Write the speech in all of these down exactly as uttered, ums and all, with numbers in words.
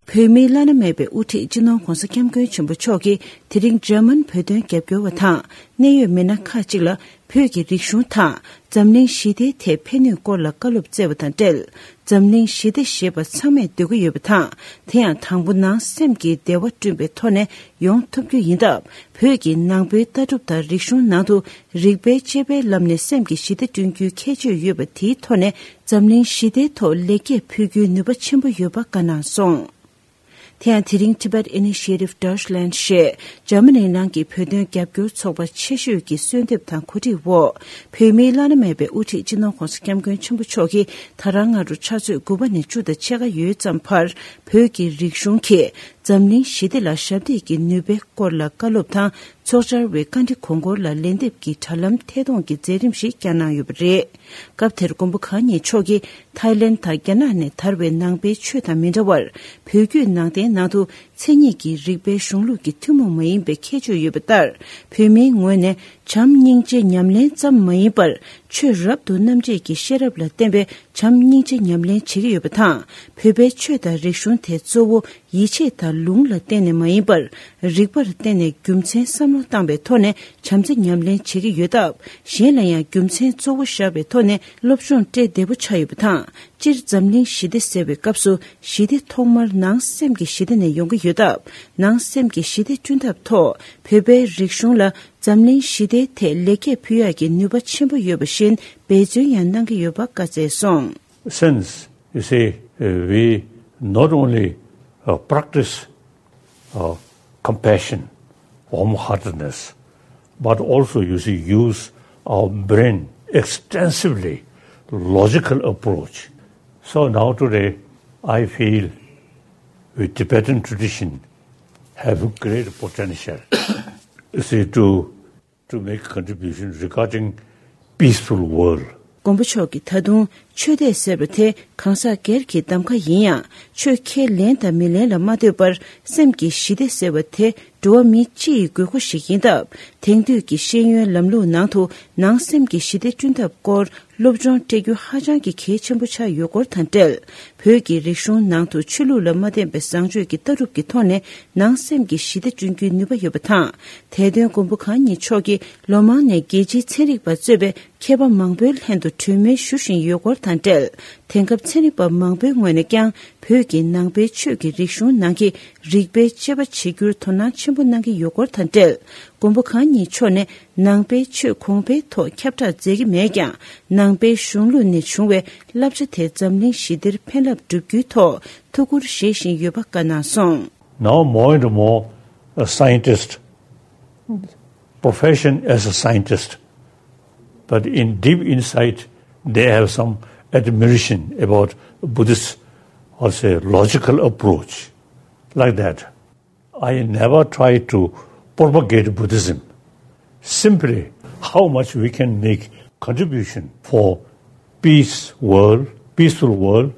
བོད་མིའི་བླ་ན་མེད་པའི་དབུ་ཁྲིད་སྤྱི་ནོར་༧གོང་ས་༧སྐྱབས་མགོན་ཆེན་པོ་མཆོག་གིས་དེ་རིང་འཇར་མན་བོད་དོན་རྒྱབ་སྐྱོར་བ་དང་གནད་ཡོད་མི་སྣ་ཁག་ཅིག་ལ་བོད་ཀྱི་རིག་གཞུང་དང་འཛམ་གླིང་ཞི་བདེའི་ཐད་ཕན་ནུས་སྐོར་ལ་བཀའ་སློབ་སྩལ་བ་དང་འབྲེལ། འཛམ་གླིང་ཞི་བདེ་ཞེས་པ་ཚང་མས་འདོད་ཀྱི་ཡོད་པ་དང་། དེ་ཡང་དང་པོ་ནང་སེམས་ཀྱི་བདེ་བ་བསྐྲུན་པའི་ཐོག་ནས་ཡོང་ཐུབ་རྒྱུ་ཡིན་སྟབས། བོད་ཀྱི་ནང་པའི་ལྟ་གྲུབ་དང་རིག་གཞུང་ནང་དུ་རིག་པའི་དཔྱད་པའི་ལམ་ནས་སེམས་ཀྱི་ཞི་བདེ་བསྐྲུན་རྒྱུའི་ཁྱད་ཆོས་ཡོད་པ་དེའི་ཐོག་ནས་འཛམ་གླིང་ཞི་བདེའི་ཐོག་ལེགས་སྐྱེས་ཕུལ་རྒྱུའི་ནུས་པ་ཆེན་པོ་ཡོད་པ་བཀའ་གནང་སོང་། དེ་ཡང་དེ་རིང་Tibet Initiative Deutschland ཞེས་འཇར་མ་ནིའི་ནང་གི་བོད་དོན་རྒྱབ་སྐྱོར་ཚོགས་པ་ཆེ་ཤོས་ཀྱི་གསོལ་འདེབས་དང་གོ་སྒྲིག་འོག་བོད་མིའི་བླ་ན་མེད་པའི་དབུ་ཁྲིད་སྤྱི་ནོར་༧གོང་ས་༧སྐྱབས་མགོན་ཆེན་པོ་མཆོག་གིས་ད་རང་སྔ་དྲོ་ཕྱག་ཚོད་དགུ་པ་ནས་བཅུ་དང་ཕྱེད་ཀ་ཡོལ་ཙམ་བར་བོད་ཀྱི་རིག་གཞུང་གིས་འཛམ་གླིང་ཞི་བདེ་ལ་ཞབས་འདེགས་ཀྱི་ནུས་པའི་སྐོར་ལ་བཀའ་སློབ་དང་། ཚོགས་བཅར་བའི་བཀའ་འདྲི་གོང་འཁོར་ལ་ལན་འདེབས་ཀྱི་དྲ་ལམ་ཐད་གཏོང་གི་མཛད་རིམ་ཞིག་བསྐྱངས་གནང་ཡོད་པ་རེད། སྐབས་དེར་མགོན་པོ་གང་ཉིད་མཆོག་གིས་ཐའི་ལེན་དང་རྒྱ་ནག་ནས་དར་བའི་ནང་པའི་ཆོས་དང་མི་འདྲ་བར། བོད་བརྒྱུད་ནང་བསྟན་ནང་དུ་མཚན་ཉིད་ཀྱི་རིག་པའི་གཞུང་ལུགས་ཀྱི་ཐུན་མོང་མ་ཡིན་པའི་ཁྱད་ཆོས་ཡོད་པ་ལྟར། བོད་མིའི་ངོས་ནས་བྱམས་སྙིང་རྗེ་ཉམས་ལེན་ཙམ་མ་ཡིན་པར། ཆོས་རབ་ཏུ་རྣམ་འབྱེད་ཀྱི་ཤེས་རབ་ལ་བརྟེན་པའི་བྱམས་སྙིང་རྗེ་ཉམས་ལེན་བྱེད་ཀྱི་ཡོད་པ་དང་། བོད་པའི་ཆོས་དང་རིག་གཞུང་དེ་གཙོ་བོ་ཡིད་ཆེས་དང་ལུང་ལ་བརྟེན་ནས་མ་ཡིན་པར། རིག་པར་བརྟེན་ནས་རྒྱུ་མཚན་བསམ་བློ་བཏང་བའི་ཐོག་ནས་བྱམས་བརྩེ་ཉམས་ལེན་བྱེད་ཀྱི་ཡོད་སྟབས། གཞན་ལ་ཡང་རྒྱུ་མཚན་གཙོ་བོ་བཞག་པའི་ཐོག་ནས་སློབ་སྦྱོང་སྤྲད་བདེ་པོ་ཆགས་ཡོད་པ་དང་། སྤྱིར་འཛམ་གླིང་ཞི་བདེ་ཟེར་བའི་སྐབས་སུ་ཞི་བདེ་ཐོག་མར་ནང་སེམས་ཀྱི་ཞི་བདེ་ནས་ཡོང་གི་ཡོད་སྟབས། ནང་སེམས་ཀྱི་ཞི་བདེ་བསྐྲུན་ཐབས་ཐོག་བོད་པའི་རིག་གཞུང་ལ་འཛམ་གླིང་ཞི་བདེའི་ཐད་ལེགས་སྐྱེས་ཕུལ་ཡག་གི་ནུས་པ་ཆེན་པོ་ཡོད་པ་བཞིན་འབད་བརྩོན་ཡང་གནང་གི་ཡོད་པ་བཀའ་སྩལ་སོང་། Since, you see, uh, we not only, uh, practice, uh, compassion, warm-heartedness, but also, you see, use our brain extensively, logical approach. So now today, I feel with Tibetan tradition have great potential, you see, to to make contribution regarding peaceful world. མགོན་པོ་མཆོག་གིས་ད་དུང་ཆོས་དད་ཟེར་བ་དེ་གང་ཟག་སྒེར་གྱི་གདམ་ག་ཡིན་ཡང་། ཆོས་ཁས་ལེན་དང་མི་ལེན་ལ་མ་ལྟོས་པར། སེམས་ཀྱི་ཞི་བདེ་ཟེར་བ་དེ་འགྲོ་བ་མི་སྤྱི་ཡི་དགོས་མཁོ་ཞིག་ཡིན་སྟབས། དེང་དུས་ཀྱི་ཤེས་ཡོན་ལམ་ལུགས་ནང་དུ་ནང་སེམས་ཀྱི་ཞི་བདེ་བསྐྲུན་ཐབས་སྐོར་སློབ་སྦྱོང་སྤྲད་རྒྱུ་ཧ་ཅང་གི་གལ་ཆེན་པོ་ཆགས་ཡོད་སྐོར་དང་འབྲེལ། བོད་ཀྱི་རིག་གཞུང་ནང་དུ་ཆོས་ལུགས་ལ་མ་བརྟེན་པའི་བཟང་སྤྱོད་ཀྱི་ལྟ་གྲུབ་ཀྱི་ཐོག་ནས་ནང་སེམས་ཀྱི་ཞི་བདེ་བསྐྲུན་རྒྱུའི་ནུས་པ་ཡོད་པ་དང་། དེ་དོན་མགོན་པོ་གང་ཉིད་མཆོག་གིས་ལོ་མང་ནས་རྒྱལ་སྤྱིའི་ཚན་རིག་པ་གཙོས་པའི་མཁས་པ་མང་པོའི་ལྷན་དུ་གྲོས་མོལ་ཞུ་བཞིན་ཡོད་སྐོར་དང་འབྲེལ། དེང་སྐབས་ཚན་རིག་པ་མང་པོའི་ངོས་ནས་ཀྱང་བོད་ཀྱི་ནང་པའི་ཆོས་ཀྱི་རིག་གཞུང་ནང་གི་རིག་པའི་དཔྱད་པ་བྱེད་རྒྱུར་དོ་སྣང་ཆེན་པོ་གནང་གི་ཡོད་སྐོར་དང་འབྲེལ། མགོན་པོ་གང་ཉིད་མཆོག་ནས་ནང་པའི་ཆོས་གོང་འཕེལ་ཐོག་ཁྱབ་བསྒྲགས་མཛད་ཀྱི་མེད་ཀྱང་། ནང་པའི་གཞུང་ལུགས་ནས་བྱུང་བའི་བསླབ་བྱ་དེ་འཛམ་གླིང་ཞི་བདེར་ཕན་རླབས་བསྒྲུབ་རྒྱུའི་ཐོག་ཐུགས་ཁུར་བཞེས་བཞིན་ཡོད་པ་བཀའ་གནང་སོང་། Now more and more a scientist, profession as a scientist, but in deep inside they have some admiration about Buddhist or say logical approach like that. I never try to propagate Buddhism. Simply how much we can make contribution for peace world, peaceful world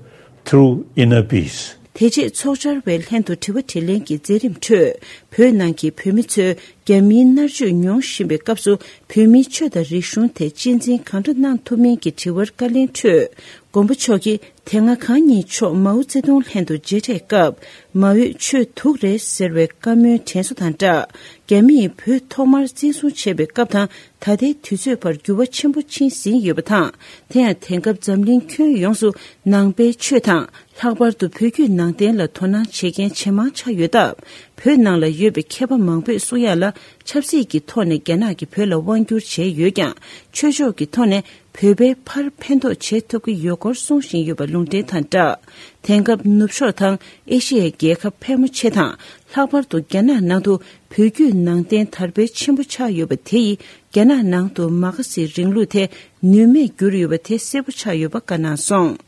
through inner peace. དེ་རྗེས་ཚོགས་བཅར་བའི་ལྷན་དུ་དྲི་བ་དྲིས་ལན་གྱི་མཛད་རིམ་ཁྲོད། བོད་ནང་གི་བོད་མི་ཚོས་རྒྱ་མིའི་མནར་གཅོད་མྱོང་བཞིན་པའི་སྐབས་སུ་བོད་མིའི་ཆོས་དང་རིག་གཞུང་དེ་གཅེས་འཛིན་གང་འདྲ་གནང་ཐུབ་མིན་གྱི་དྲི་བར་བཀའ་ལན་འཕྲོད། མགོན་པོ་མཆོག་གིས་དེ་སྔ་གང་ཉིད་མཆོག་མའོ་ཙེ་ཏུང་ལྷན་དུ་མཇལ་འཕྲད་སྐབས། མའོས་ཆོས་དུག་རེད་ཟེར་བའི་བཀའ་མོལ་དྲན་གསོ་དང་སྦྲགས། རྒྱ་མིས་བོད་ཐོག་མར་བཙན་བཟུང་བྱས་པའི་སྐབས་དང་ད་ལྟའི་དུས་ཚོད་བར་འགྱུར་བ་ཆེན་པོ་ཕྱིན་ཟིན་ཡོད་པ་དང་། དེ་ཡང་དེང་སྐབས་འཛམ་གླིང་ཁྱོན་ཡོངས་སུ་ནང་པའི་ཆོས་དང་། ལྷག་པར་དུ་བོད་བརྒྱུད་ནང་བསྟན་ལ་དོ་སྣང་བྱེད་མཁན་ཇེ་མང་ཆགས་ཡོད་སྟབས། བོད་ནང་ལ་ཡོད་པའི་མཁས་པ་མང་པོས་གསུང་ཡག་ལ། ཆབ་སྲིད་ཀྱི་ཐོག་ནས་རྒྱ་ནག་གིས་བོད་ལ་དབང་བསྒྱུར་བྱས་ཡོད་ཀྱང་། ཆོས་ཕྱོགས་ཀྱི་ཐོག་ནས་བོད་པའི་ཕར་ཕན་ཐོགས་བྱེད་ཐུབ་ཀྱི་ཡོད་སྐོར་གསུང་བཞིན་ཡོད་པ་ལུང་འདྲེན་དང་སྦྲགས། དེང་སྐབས་ནུབ་ཕྱོགས་དང་ཨེ་ཤི་ཡའི་རྒྱལ་ཁབ་ཕལ་མོ་ཆེ་དང་། ལྷག་པར་དུ་རྒྱ་ནག་ནང་དུ་བོད་བརྒྱུད་ནང་བསྟན་དར་འཕེལ་ཆེན་པོ་ཆགས་ཡོད་པ་དེ་ཡིས་རྒྱ་ནག་ནང་དུ་མ་ཁ་སི་རིང་ལུགས་དེ་ནུས་མེད་གྱུར་ཡོད་པ་དེ་གསལ་པོ་ཆགས་ཡོད་པ་བཀའ་གནང་སོང་།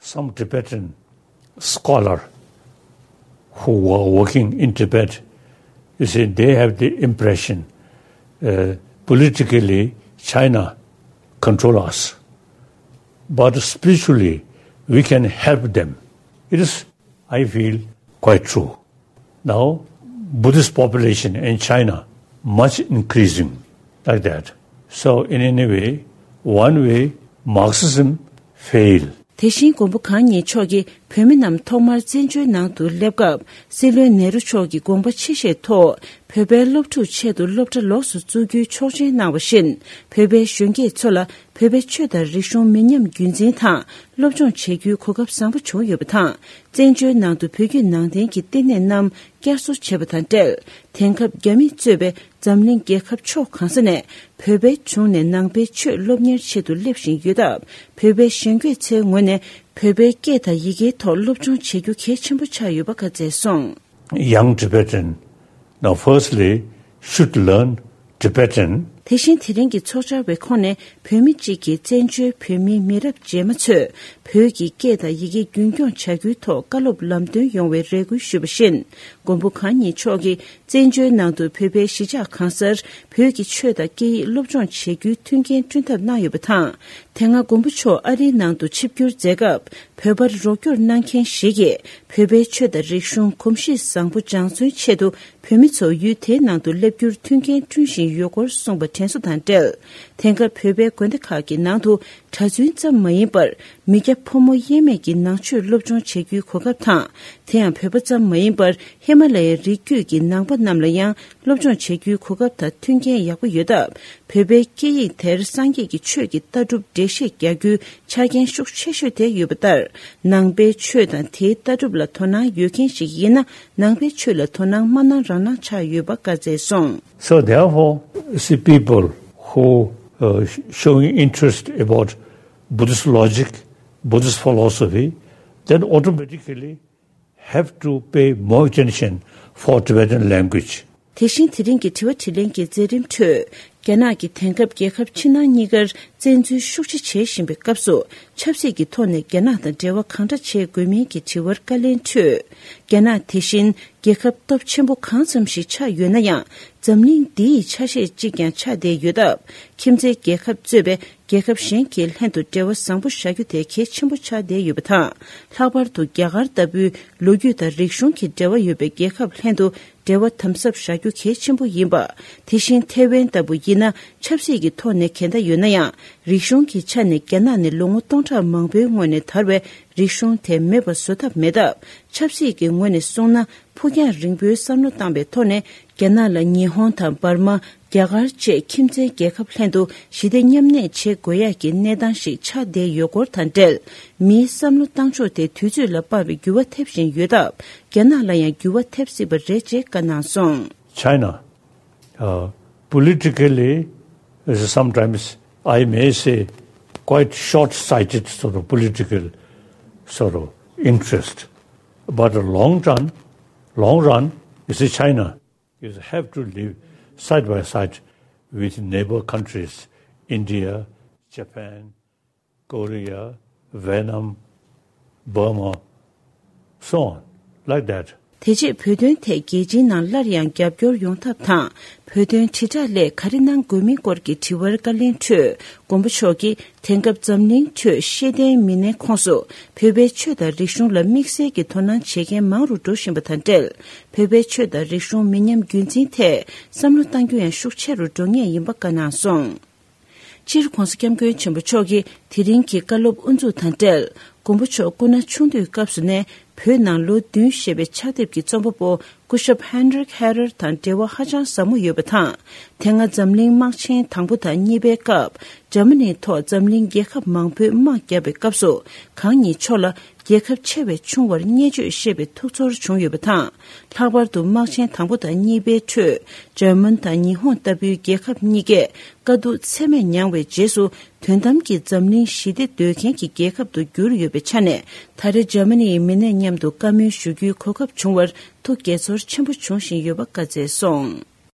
Some Tibetan scholar who are working in Tibet, you see, they have the impression, uh, politically China control us, but spiritually we can help them. It is, I feel, quite true. Now, Buddhist population in China much increasing like that. So in any way, one way, Marxism fail. དེ་བཞིན་མགོན་པོ་གང་ཉིད་མཆོག་གིས་བོད་མི་རྣམས་ཐོག་མར་བཙན་བྱོལ་ནང་དུ་སླེབས་སྐབས། སྲིད་བློན་ནེ་རུ་མཆོག་གི་དགོངས་པ་ཆེ་བཞེས་ཐོག་བོད་པའི་སློབ་ཕྲུག་ཆེད་དུ་སློབ་གྲྭ་ལོགས་སུ་བཙུགས་རྒྱུའི་ཆོག་མཆན་གནང་བ་བཞིན། བོད་པའི་གཞོན་སྐྱེས་ཚོ་ལ་བོད་པའི་ཆོས་དང་རིག་གཞུང་མི་ཉམས་རྒྱུན་འཛིན་དང་སློབ་སྦྱོང་བྱེད་རྒྱུའི་གོ་སྐབས་བཟང་པོ་བྱུང་ཡོད་པ་དང་། བཙན་བྱོལ་ནང་དུ་བོད་བརྒྱུད་ནང་བསྟན་གྱི་བསྟི་གནས་རྣམས་བསྐྱར་གསོ་བྱས་པ་དང་འབྲེལ། དེང་སྐབས་རྒྱ་མིས་གཙོས་པའི་འཛམ་གླིང་རྒྱལ་ཁབ་ཕྱོགས་གང་ས་ནས་བོད་པའི་དྲུང་ནས་ནང་པའི་ཆོས་སློབ་གཉེར་ཆེད་དུ་སླེབས་བཞིན་ཡོད་སྟབས། བོད་པའི་གཞོན་སྐྱེས་ཚོའི་ངོས་ནས་བོད་པའི་སྐད་དང་ཡི་གེའི་ཐོག་སློབ་སྦྱོང་བྱེད་རྒྱུ་གལ་ཆེན་པོ་ཆགས་ཡོད་པ་བཀའ་སྩལ་སོང་། Young Tibetan, now firstly, should learn Tibetan. དེ་བཞིན་དེ་རིང་གི་ཚོགས་བཅར་བའི་ཁོངས་ནས་བོད་མི་གཅིག་གིས་བཙན་བྱོལ་བོད་མིའི་མི་རབས་རྗེས་མ་ཚོས་བོད་ཀྱི་སྐད་དང་ཡི་གེ་རྒྱུན་སྐྱོང་བྱ་རྒྱུའི་ཐོག་བཀའ་སློབ་ལམ་སྟོན་ཡོང་བའི་རེ་སྐུལ་ཞུས་པ་བཞིན། མགོན་པོ་གང་ཉིད་མཆོག་གིས་བཙན་བྱོལ་ནང་དུ་བོད་པའི་གཞིས་ཆགས་གང་སར་བོད་ཀྱི་ཆོས་དང་སྐད་ཡིག་སློབ་སྦྱོང་བྱེད་རྒྱུའི་མཐུན་རྐྱེན་བསྐྲུན་ཐབས་གནང་ཡོད་པ་དང་། དེ་སྔ་མགོན་པོ་མཆོག་ཨ་རིའི་ནང་དུ་ཆིབས་བསྒྱུར་མཛད་སྐབས། བོད་པར་རོགས་སྐྱོར་གནང་མཁན་ཞིག་གིས་བོད་པའི་ཆོས་དང་རིག་གཞུང་གོམས་གཤིས་བཟང་པོ་སྦྱང་བརྩོན་ཆེད་དུ་བོད་མི་ཚོ་ཡུལ་དེའི་ནང་དུ་སླེབས་རྒྱུར་མཐུན་རྐྱེན་བསྐྲུན་བཞིན་ཡོད་སྐོར་གསུངས་པ་དྲན་གསོ་དང་འབྲེལ། དེང་སྐབས་བོད་པའི་དགོན་སྡེ་ཁག་གི་ནང་དུ་གྲྭ་བཙུན་ཙམ་མ་ཡིན་པར་མི་སྐྱ་ཕོ་མོ་དབྱེར་མེད་ཀྱི་ནང་ཆོས་སློབ་སྦྱོང་བྱེད་རྒྱུའི་གོ་སྐབས་དང་། དེ་ཡང་བོད་པ་ཙམ་མ་ཡིན་པར་ཧི་མ་ལ་ཡའི་རི་རྒྱུད་ཀྱི་ནང་པ་རྣམས་ལ་ཡང་སློབ་སྦྱོང་བྱེད་རྒྱུའི་གོ་སྐབས་དང་མཐུན་རྐྱེན་ཡག་པོ་ཡོད་སྟབས། བོད་པའི་སྐད་ཡིག་དེར་སངས་རྒྱས་ཀྱི་ཆོས་ཀྱི་ལྟ་གྲུབ་འགྲེལ་བཤད་རྒྱག་རྒྱུའི་ཆ་རྐྱེན་ཤུགས་ཆེ་ཤོས་དེ་ཡོད་པ་ལྟར། ནང་པའི་ཆོས་དང་དེའི་ལྟ་གྲུབ་ལ་དོ་སྣང་ཡོད་མཁན་ཞིག་ཡིན་ན། ནང་པའི་ཆོས་ལ་དོ་སྣང་མ་གནང་རང་གནང་ཆགས་ཡོད་པ་བཀའ་སྩལ་སོང་། So therefore, see, people who, uh, showing interest about Buddhist logic, Buddhist philosophy, then automatically have to pay more attention for Tibetan language. དེ་བཞིན་དེ་རིང་གི་དྲི་བ་དྲིས་ལན་གྱི་མཛད་རིམ་ཁྲོད། རྒྱ་ནག་གིས་དེང་སྐབས་རྒྱལ་ཁབ་ཕྱི་ནང་གཉིས་ཀར་བཙན་འཛུལ་ཤུགས་ཆེ་བྱེད་བཞིན་པའི་སྐབས་སུ། ཆབ་སྲིད་ཀྱི་ཐོག་ནས་རྒྱ་ནག་དང་འབྲེལ་བ་གང་འདྲ་བྱེད་དགོས་མིན་གྱི་དྲི་བར་བཀའ་ལན་ཁྲོད། རྒྱ་ནག་དེ་བཞིན་རྒྱལ་ཁབ་སྟོབས་ཆེན་པོ་གང་ཙམ་ཞིག་ཆགས་ཡོད་ན་ཡང་། འཛམ་གླིང་འདི་ཡི་ཆ་ཤས་གཅིག་ཀྱང་ཆགས་བསྡད་ཡོད་སྟབས། ཁྱིམ་མཚེས་རྒྱལ་ཁབ་གཙོས་པའི་རྒྱལ་ཁབ་གཞན་གྱི་ལྷན་དུ་འབྲེལ་བ་བཟང་པོ་བཞག་རྒྱུ་དེ་གལ་ཆེན་པོ་ཆགས་བསྡད་ཡོད་པ་དང་། ལྷག་པར་དུ་རྒྱ་གར་ལྟ་བུའི་ལོ་རྒྱུས་དང་རིག་གཞུང་གི་འབྲེལ་བ་ཡོད་པའི་རྒྱལ་ཁབ་ལྷན་དུ་འབྲེལ་བ་དམ་ཟབ་བཞག་རྒྱུ་གལ་ཆེན་པོ་ཡིན་པ། དེ་བཞིན་ཐེ་ཝན་ལྟ་བུ་ཡིན་ན། ཆབ་སྲིད་ཀྱི་ཐོག་ནས་གལ་འདའ་ཡོད་ན་ཡང་། རིག་གཞུང་གི་ཆ་ནས་རྒྱ་ནག་ནི་ལོ་ངོ་སྟོང་ཕྲག་མང་པོའི་སྔོན་ནས་དར་བའི་རིག་གཞུང་དེ་མེད་པ་བཟོ་ཐབས་མེད་སྟབས། ཆབ་སྲིད་ཀྱི་ངོས་ནས་གསུངས་ན། ཕུགས་རྒྱང་རིང་པོའི་བསམ་བློ་བཏང་བའི་ཐོག་ནས། རྒྱ་ནག་ལ་ཉི་ཧོང་དང་འབར་མ། རྒྱ་གར་བཅས་ཁྱིམ་མཚེས་རྒྱལ་ཁབ་ལྷན་དུ་ཞི་བདེ་མཉམ་གནས་བྱེད་དགོས་ཡག་གི་གནས་སྟངས་ཤིག་ཆགས་བསྡད་ཡོད་སྐོར་དང་འབྲེལ། མིའི་བསམ་བློ་བཏང་ཕྱོགས་དེ་དུས་ཚོད་ལ་དཔག་པའི་འགྱུར་བ་ཐེབས་བཞིན་ཡོད་སྟབས། རྒྱ་ནག་ལ་ཡང་འགྱུར་བ་ཐེབས་སྲིད་པ་རེད་ཅེས་བཀའ་གནང་སོང་། China, uh, politically, is sometimes, I may say, quite short-sighted sort of political sort of interest. But a long run, long run, you see, China is have to live side by side with neighbor countries, India, Japan, Korea, Vietnam, Burma, so on, like that. དེ་རྗེས་བོད་དོན་ཐད་རྒྱལ་སྤྱིའི་ནང་སླར་ཡང་རྒྱབ་སྐྱོར་ཡོང་ཐབས་དང་། བོད་དོན་དྲིལ་བསྒྲགས་སླད་ག་རེ་གནང་དགོས་མིན་སྐོར་གྱི་དྲི་བར་བཀའ་ལན་འཕྲོད། མགོན་པོ་མཆོག་གིས་དེང་སྐབས་འཛམ་གླིང་ཁྲོད་ཤེས་ལྡན་མི་སྣའི་ཁོངས་སུ་བོད་པའི་ཆོས་དང་རིག་གཞུང་ལ་དམིགས་བསལ་གྱི་དོ་སྣང་བྱེད་མཁན་མང་རུ་འགྲོ་བཞིན་པ་དང་འབྲེལ། བོད་པའི་ཆོས་དང་རིག་གཞུང་མི་ཉམས་རྒྱུན་འཛིན་ཐད་བསམ་བློ་གཏང་རྒྱུ་ཡང་ཤུགས་ཆེ་རུ་འགྲོ་ངེས་ཡིན་པ་བཀའ་གནང་སོང་། སྤྱིར་༧གོང་ས་༧སྐྱབས་མགོན་ཆེན་པོ་མཆོག་གིས་དེ་རིང་གི་བཀའ་སློབ་དབུ་འཛུགས་དང་འབྲེལ། མགོན་པོ་མཆོག་སྐུ་ན་ཆུང་དུས་སྐབས་སུ་ནས་བོད་ནང་ལོ་བདུན་ཞེས་པའི་ཕྱག་དེབ་ཀྱི་རྩོམ་པ་པོ་སྐུ་ཞབས་ཧན་རིག་ཧེ་རར་དང་འབྲེལ་བ་ཧ་ཅང་ཟབ་མོ་ཡོད་པ་དང་། དེ་སྔ་འཛམ་གླིང་དམག་ཆེན་དང་པོ་དང་གཉིས་པའི་སྐབས། འཇར་མ་ནིའི་ཐོག་འཛམ་གླིང་རྒྱལ་ཁབ་མང་པོས་དམག་བརྒྱབ་པའི་སྐབས་སུ། གང་ཉིད་མཆོག་ལ་རྒྱལ་ཁབ་ཆེ་བས་ཆུང་བར་བརྙས་བཅོས་བཤད་པའི་ཐུགས་ཚོར་བྱུང་ཡོད་པ་དང་། ལྷག་པར་དུ་དམག་ཆེན་དང་པོ་དང་གཉིས་པའི་ཁྲོད། འཇར་མན་དང་ཉི་ཧོང་ལྟ་བུའི་རྒྱལ་ཁབ་གཉིས་ཀས་དཀའ་སྡུག་ཚད་མེད་མྱངས་པའི་རྗེས་སུ། དོན་དམ་གྱི་འཛམ་གླིང་ཞི་བདེ་འདོད་མཁན་གྱི་རྒྱལ་ཁབ་ཏུ་གྱུར་ཡོད་པའི་ཆ་ནས། ད་རེས་འཇར་མ་ནིའི་མི་སྣ་མཉམ་དུ་བཀའ་མོལ་ཞུ་རྒྱུའི་གོ་སྐབས་བྱུང་བར་ཐུགས་དགྱེས་ཚོར་ཆེན་པོ་བྱུང་བཞིན་ཡོད་པ་བཀའ་སྩལ་སོང་།